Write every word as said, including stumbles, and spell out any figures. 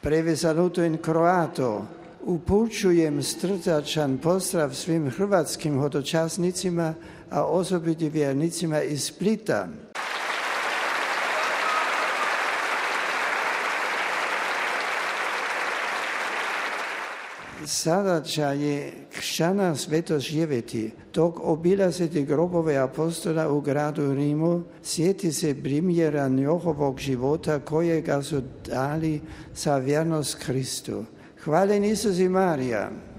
Prevezanuto in kroato. Upućujem srdačan pozdrav svim hrvatskim hodočasnicima, a osobito vjernicima iz Splita. Zadaća je kršćana sveto živjeti, dok obilazite grobove apostola u gradu Rimu, sjeti se primjera njihovog života kojega su dali za vjernost Kristu. Hvala Isus i Marija.